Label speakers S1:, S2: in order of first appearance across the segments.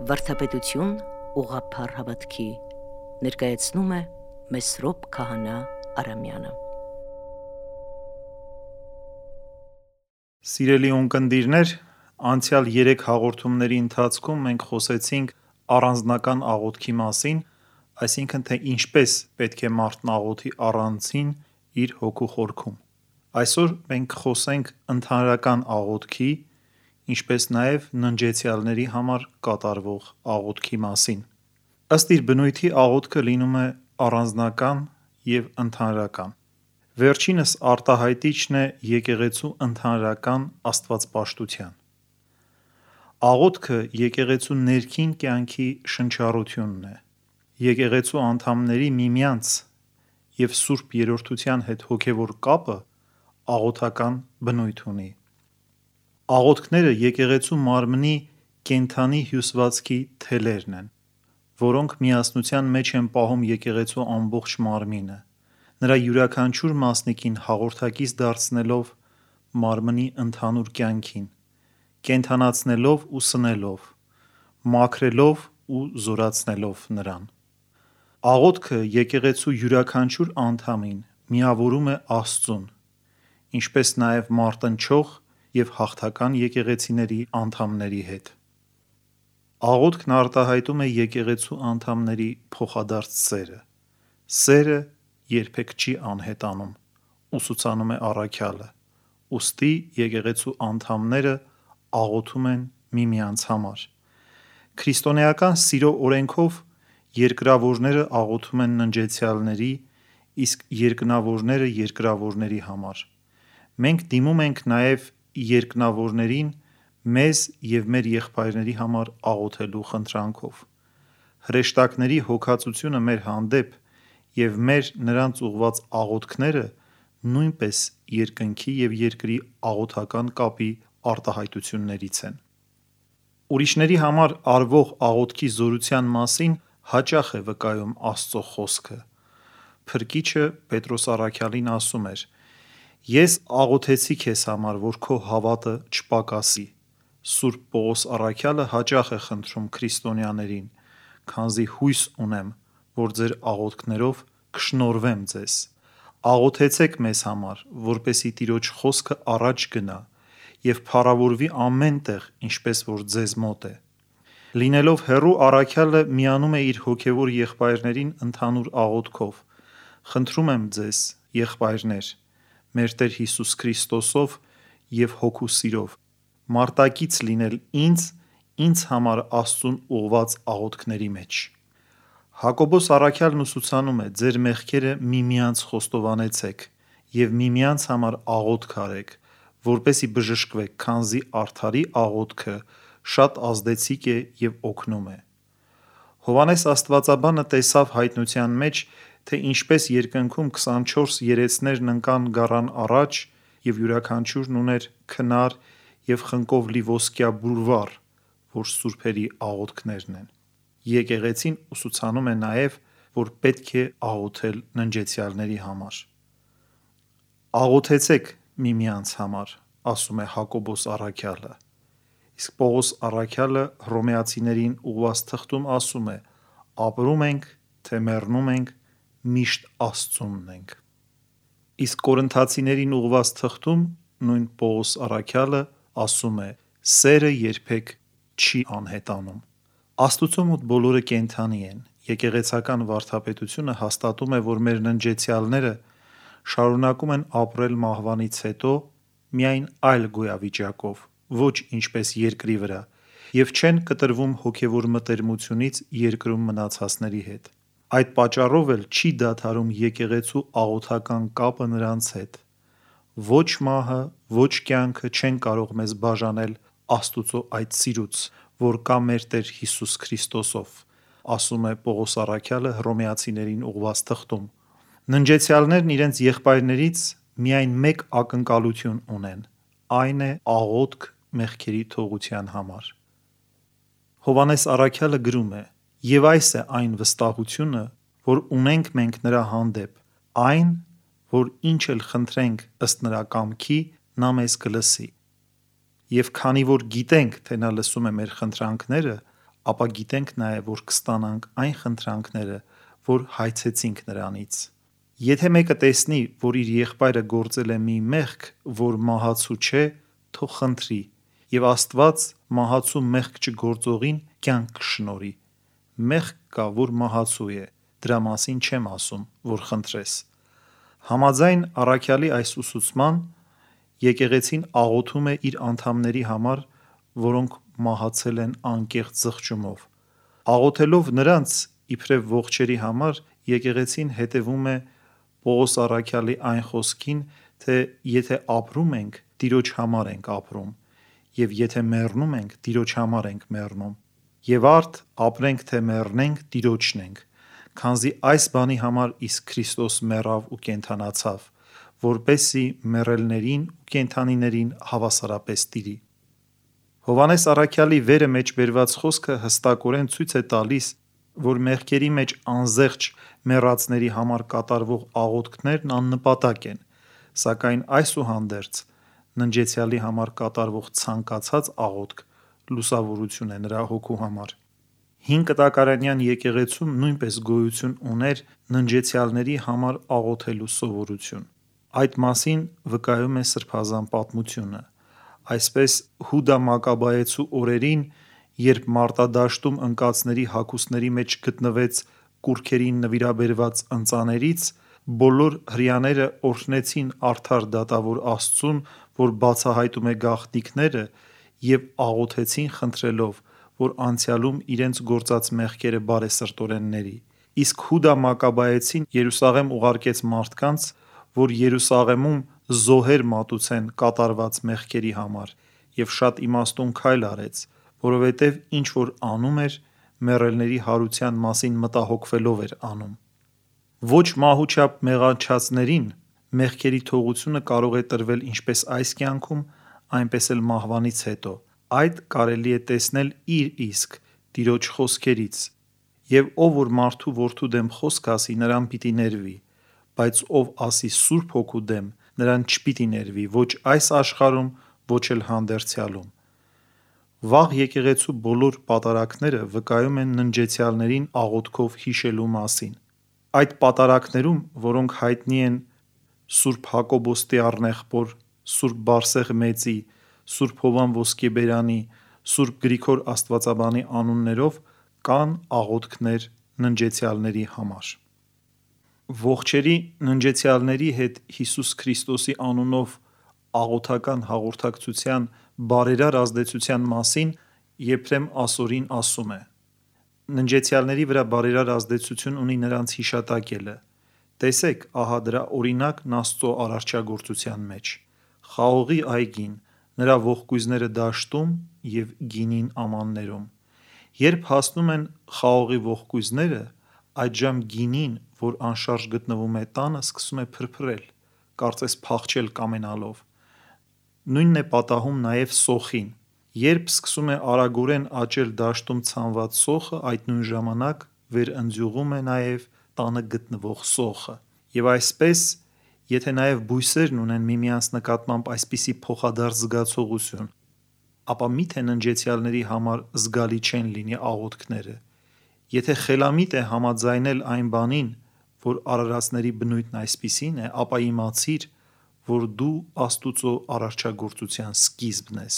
S1: Վարդապետություն ուղղափառ հավատքի ներկայացնում է Մեսրոպ Քահանա Արամյանը։
S2: Սիրելի ունկնդիրներ, անցյալ 3 հաղորդումների ընթացքում մենք խոսեցինք առանձնական աղոթքի մասին, այսինքն թե ինչպես պետք է մարդն աղոթի առանձին իր հոգու խորքում։ Այսօր մենք կխոսենք ընդհանրական աղոթքի, ինչպես նաև ննջեցյալների համար կատարվող աղոթքի մասին։ Ըստ իր բնույթի աղոթքը լինում է առանձնական և ընդհանրական։ Վերջինս արտահայտիչն է եկեղեցու ընդհանրական աստվածպաշտության։ Աղոթքը եկեղեցու ներքին կյանքի շնչառությունն է։ Եկեղեցու անդամների միմյանց և Սուրբ Երրորդության հետ հոգևոր կապը աղոթական բնույթ ունի։ Աղոթքները եկեղեցու մարմնի կենդանի հյուսվածքի թելերն են, որոնք միասնության մեջ են պահում եկեղեցու ամբողջ մարմինը, նրա յուրաքանչյուր մասնիկին հաղորդակից դարձնելով մարմնի ընդհանուր կյանքին, կենդանացնելով ու սնելով, մաքրելով ու զորացնելով նրան։ Աղոթքը եկեղեցու յուրաքանչյուր անդամին միավորում է Աստծուն, ինչպես նաև մարտնչող և հաղթական եկեղեցիների անդամների հետ։ Աղոթքն արտահայտում է եկեղեցու անդամների փոխադարձ սերը։ Սերը երբեք չի անհետանում, ուսուցանում է առաքյալը, ուստի եկեղեցու անդամները աղոթում են միմյանց համար։ Քրիստոնեական սիրո օրենքով երկրավորները աղոթում են ննջեցյալների, իսկ երկնավորները երկրավորների համար։ Մենք դիմում ենք նաև երկնավորներին մեզ և մեր եղբայրների համար աղոթելու խնդրանքով։ Հրեշտակների հոգածությունը մեր հանդեպ և մեր նրանց ուղղված աղոթքները նույնպես երկնքի և երկրի աղոթական կապի արտահայտություններից են։ Ուրիշների համար արվող աղոթքի զորության մասին հաճախ է վկայում Աստծո խոսքը։ Փրկիչը Պետրոս առաքյալին ասում էր. «Ես աղոթեցի քեզ համար, որ քո հավատը չպակասի»։ Սուրբ Պողոս առաքյալը հաճախ է խնդրում քրիստոնյաներին. «Քանզի հույս ունեմ, որ ձեր աղոթքներով կշնորհվեմ ձեզ»։ Աղոթեցեք մեզ համար, որպեսզի Տիրոջ խոսքը առաջ գնա և փառավորվի ամեն տեղ, ինչպես որ ձեզ մոտ է։ Լինելով հեռու, առաքյալը միանում է իր հոգևոր եղբայրներին ընդհանուր աղոթքով. «Խնդրում եմ ձեզ, եղբայրներ, մեր Տեր Հիսուս Քրիստոսով և հոգու սիրով, մարտակից լինել ինձ համար Աստծուն ուղղված աղոթքների մեջ»։ Հակոբոս առաքյալն ուսուցանում է. «Ձեր մեղքերը միմյանց խոստովանեցեք և միմյանց համար աղոթք արեք, որպեսզի բժշկվեք, քանզի արդարի աղոթքը շատ ազդեցիկ է և օգնում է»։ Հովհաննես Աստվածաբանը տեսավ հայտնության մեջ, թե ինչպես երկնքում 24 երեցներն ընկան գառան առաջ և յուրաքանչյուրն ուներ քնար և խնկով լի ոսկյա բուրվառ, որ սուրբերի աղոթքներն են։ Եկեղեցին ուսուցանում է նաև, որ պետք է աղոթել ննջեցյալների համար։ «Աղոթեցեք միմյանց համար», ասում է Հակոբոս առաքյալը։ Իսկ Պողոս առաքյալը Հռոմեացիներին ուղղված թղթում ասում է. «Ապրում ենք, թե մեռնում ենք, միշտ Աստծունն ենք»։ Իսկ Կորինթացիներին ուղղված թղթում նույն Պողոս առաքյալը ասում է. «Սերը երբեք չի անհետանում»։ Աստծո մոտ բոլորը կենդանի են։ Եկեղեցական վարդապետությունը հաստատում է, որ մեր ննջեցյալները շարունակում են ապրել մահվանից հետո միայն այլ գոյավիճակով, ոչ ինչպես երկրի վրա, և չեն կտրվում հոգևոր մտերմությունից երկրում մնացածների հետ։ Այդ պատճառով էլ չի դադարում եկեղեցու աղոթական կապը նրանց հետ։ Ոչ մահը, ոչ կյանքը չեն կարող մեզ բաժանել Աստծո այդ սիրուց, որ կա մեր Տեր Հիսուս Քրիստոսով, ասում է Պողոս առաքյալը Հռոմեացիներին ուղղված թղթում։ Ննջեցյալներն իրենց եղբայրներից միայն մեկ ակնկալություն ունեն, այն է աղոթք մեղքերի թողության համար։ Հովհաննես առաքյալը գրում է. «Եվ այս է այն վստահությունը, որ ունենք մենք նրա հանդեպ, այն, որ ինչ էլ խնդրենք ըստ նրա կամքի, նա մեզ կլսի։ Եվ քանի որ գիտենք, թե նա լսում է մեր խնդրանքները, ապա գիտենք նաև, որ կստանանք այն խնդրանքները, որ հայցեցինք նրանից։ Եթե մեկը տեսնի, որ իր եղբայրը գործել է մի մեղք, որ մահացու չէ, թող խնդրի, և Աստված մահացու մեղք չգործողին կյանք կշնորհի։ Մեղք կա, որ մահացու է, դրա մասին չեմ ասում, որ խնդրես։ Համաձայն առաքյալի այս ուսուցման, եկեղեցին աղոթում է իր անդամների համար, որոնք մահացել են անկեղծ զղջումով։ Աղոթելով նրանց իբրև ողջերի համար, եկեղեցին հետևում է Պողոս առաքյալի այն խոսքին, թե եթե ապրում ենք, Տիրոջ համար ենք ապրում, և եթե մեռնում ենք, Տիրոջ համար ենք մեռնում, և արդ ապրենք թե մեռնենք, Տիրոջն ենք, քանզի այս բանի համար իսկ Քրիստոս մեռավ ու կենդանացավ, որպեսզի մեռելներին ու կենդանիներին հավասարապես տիրի։ Հովհաննես առաքյալի վերը մեջ բերված խոսքը հստակորեն ցույց է տալիս, որ մեղքերի մեջ անզեղչ մեռածների համար կատարվող աղոթքներն աննպատակ են, սակայն այսուհանդերձ ննջեցյալի համար կատարվող ցանկացած աղոթք լուսավորություն է նրա հոգու համար։ Հին կտակարանյան եկեղեցում նույնպես գոյություն ուներ ննջեցյալների համար աղոթելու սովորություն։ Այդ մասին վկայում է սրբազան պատմությունը։ Այսպես Հուդա Մակաբայեցու օրերին, երբ մարտադաշտում ընկածների հագուստների մեջ գտնվեց կուռքերին նվիրաբերված ընծաներից, բոլոր հրեաները օրհնեցին արդար դատավոր Աստծուն, որ բացահայտում է գաղտնիքները, և աղոթեցին խնդրելով, որ անցյալում իրենց գործած մեղքերը բարեսրտորեն ների։ Իսկ Հուդա Մակաբայեցին Երուսաղեմ ուղարկեց մարդկանց, որ Երուսաղեմում զոհեր մատուցեն կատարված մեղքերի համար, և շատ իմաստուն քայլ արեց, որովհետև ինչ որ անում էր, մեռելների հարության մասին մտահոգվելով էր անում։ Ոչ մահուչապ մեղանչածներին մեղքերի թողությունը կարող է տրվել ինչպես այս կյանքում, այնպես էլ մահվանից հետո։ Այդ կարելի է տեսնել իր իսկ Տիրոջ խոսքերից. «Եվ ով որ մարդու որդու դեմ խոսք ասի, նրան պիտի ներվի, բայց ով ասի Սուրբ Հոգու դեմ, նրան չպիտի ներվի ոչ այս աշխարհում, ոչ էլ հանդերձյալում»։ Վաղ եկեղեցու բոլոր պատարագները վկայում են ննջեցյալներին աղոթքով հիշելու մասին։ Այդ պատարագներում, որոնք հայտնի են Սուրբ Հակոբոս Տիառնեղբոր, Սուրբ Բարսեղ Մեծի, Սուրբ Հովան Ոսկեբերանի, Սուրբ Գրիգոր Աստվածաբանի անուններով, կան աղոթքներ ննջեցյալների համար։ Ողջերի ննջեցյալների հետ Հիսուս Քրիստոսի անունով աղոթական հաղորդակցության բարերար ազդեցության մասին Եփրեմ Ասորին ասում է. Ննջեցյալների վրա բարերար ազդեցություն ունի նրանց հիշատակելը։ Տեսեք, ահա դրա օրինակն Աստծո արարչագործության մեջ։ Խաղողի այգին, նրա ողկույզները դաշտում և գինին ամաններում։ Երբ հասնում են խաղողի ողկույզները, այդժամ գինին, որ անշարժ գտնվում է տանը, սկսում է փրփրել, կարծես փախչել կամենալով։ Նույնն է պատահում նաև սոխին։ Երբ սկսում է արագորեն աճել դաշտում ցանված սոխը, այդ նույն ժամանակ վերընձյուղում է նաև տանը գտնվող սոխը։ Եվ այսպես, եթե նաև բույսերն ունեն միմյանց նկատմամբ այսպիսի փոխադարձ զգացողություն, ապա միթե ննջեցյալների համար զգալի չեն լինի աղոթքները։ Եթե խելամիտ է համաձայնել այն բանին, որ արարածների բնույթն այսպիսին է, ապա իմացիր, որ դու Աստուծո արարչագործության սկիզբն ես։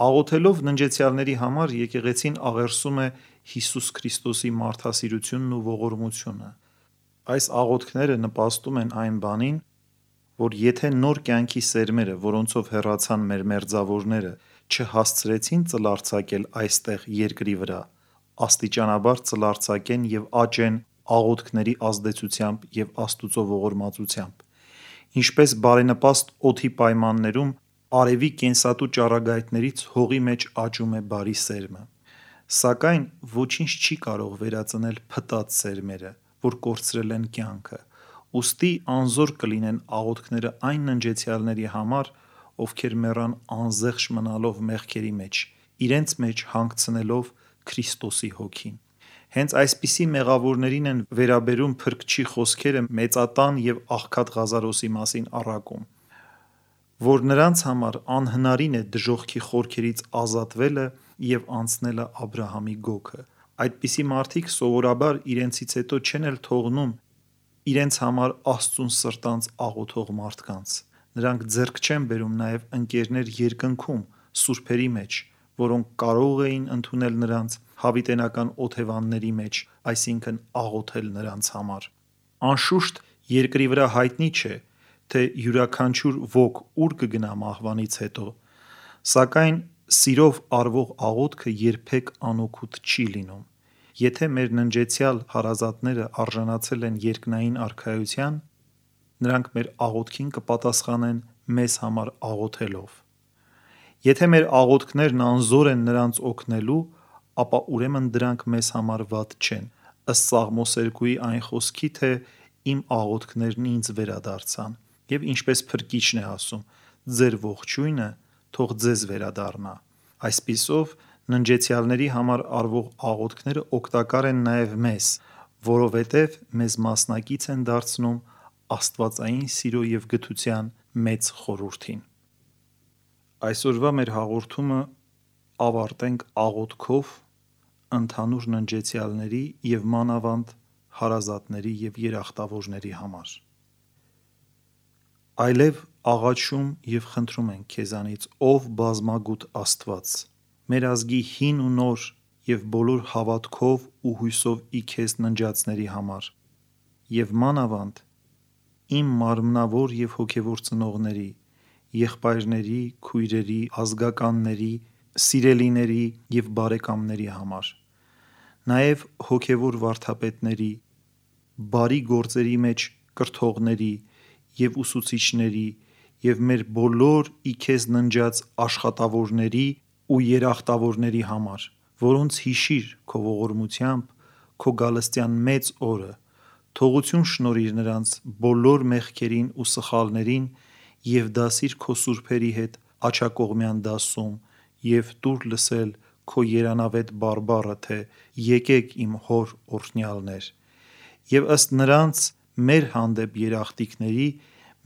S2: Աղոթելով ննջեցյալների համար եկեղեցին աղերսում է Հիսուս Քրիստոսի մարդասիրությունն ու ողորմությունը։ Այս աղոթքները նպաստում են այն բանին, որ եթե նոր կյանքի սերմերը, որոնցով հեռացան մեր մերձավորները, չհասցրեցին ծլարձակել այստեղ երկրի վրա, աստիճանաբար ծլարձակեն և աճեն աղոթքների ազդեցությամբ և Աստուծո ողորմածությամբ։ Ինչպես բարենպաստ օդի պայմաններում արևի կենսատու ճառագայթներից հողի մեջ աճում է բարի սերմը։ Սակայն ոչինչ չի կարող վերածնել փտած սերմերը, որ կորցրել են կյանքը։ Ուստի անզոր կլինեն աղոթքները այն ննջեցյալների համար, ովքեր մեռան անզեղչ մնալով մեղքերի մեջ, իրենց մեջ հանգցնելով Քրիստոսի հոգին։ Հենց այսպիսի մեղավորներին են վերաբերում Փրկչի խոսքերը մեծատան և աղքատ Ղազարոսի մասին առակում, որ նրանց համար անհնարին է դժոխքի խորքերից ազատվելը և անցնելը Աբրահամի գոգը։ Այդպիսի մարդիկ սովորաբար իրենցից հետո չեն էլ թողնում իրենց համար Աստծուն սրտանց աղոթող մարդկանց։ Նրանք ձեռք չեն բերում նաև ընկերներ երկնքում, սուրբերի մեջ, որոնք կարող էին ընդունել նրանց հավիտենական օթևանների մեջ, այսինքն աղոթել նրանց համար։ Անշուշտ, երկրի վրա հայտնի չէ, թե յուրաքանչյուր ոք ուր կգնա մահվանից հետո, սակայն սիրով արվող աղոթքը երբեք անօգուտ չի լինում։ Եթե մեր ննջեցյալ հարազատները արժանացել են երկնային արքայության, նրանք մեր աղոթքին կպատասխանեն մեզ համար աղոթելով։ Եթե մեր աղոթքներն անզոր են նրանց օգնելու, ապա ուրեմն դրանք մեզ համար վատ չեն, ըստ Սաղմոս 2-ի այն խոսքի, թե իմ աղոթքներն ինձ վերադարձան, և ինչպես Փրկիչն է ասում, ձեր ողջույնը թող ձեզ վերադառնա։ Այսպիսով, ննջեցյալների համար արվող աղոթքները օգտակար են նաև մեզ, որովհետև մեզ մասնակից են դարձնում աստվածային սիրո և գթության մեծ խորհրդին։ Այսօրվա մեր հաղորդումը ավարտենք աղոթքով ընդհանուր ննջեցյալների և մանավանդ հարազատների և երախտավորների համար։ Այլև աղաչում և խնդրում ենք քեզանից, ով բազմագութ Աստված, մեր ազգի հին ու նոր և բոլոր հավատքով ու հույսով ի քեզ ննջածների համար, և մանավանդ իմ մարմնավոր և հոգևոր ծնողների, եղբայրների, քույրերի, ազգականների, սիրելիների և բարեկամների համար, նաև հոգևոր վարդապետների, բարի գործերի մեջ կրթողների և ուսուցիչների և մեր բոլոր ի քեզ ննջած աշխատավորների ու երախտավորների համար, որոնց հիշիր քո ողորմությամբ քո գալստյան մեծ օրը, թողություն շնորհիր նրանց բոլոր մեղքերին ու սխալներին և դասիր քո սուրբերի հետ աջակողմյան դասում և տուր լսել քո երանավետ բարբառը, թե եկեք իմ հոր օրհնյալներ, և ըստ նրանց մեր հանդեպ երախտիկների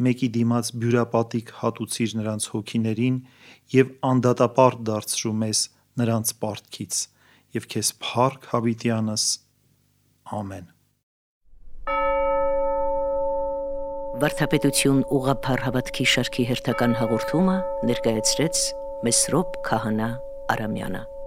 S2: մեկի դիմաց բյուրապատիկ հատուցիր նրանց հոգիներին և անդադապարտ դարձրու մեզ նրանց պարտքից, և քեզ փառք հավիտյանս։ Ամեն։
S1: Վարդապետություն ուղղափառ հավատքի շարքի հերթական հաղորդումը ներկայացրեց Մեսրոպ Քահանա Արամյանը։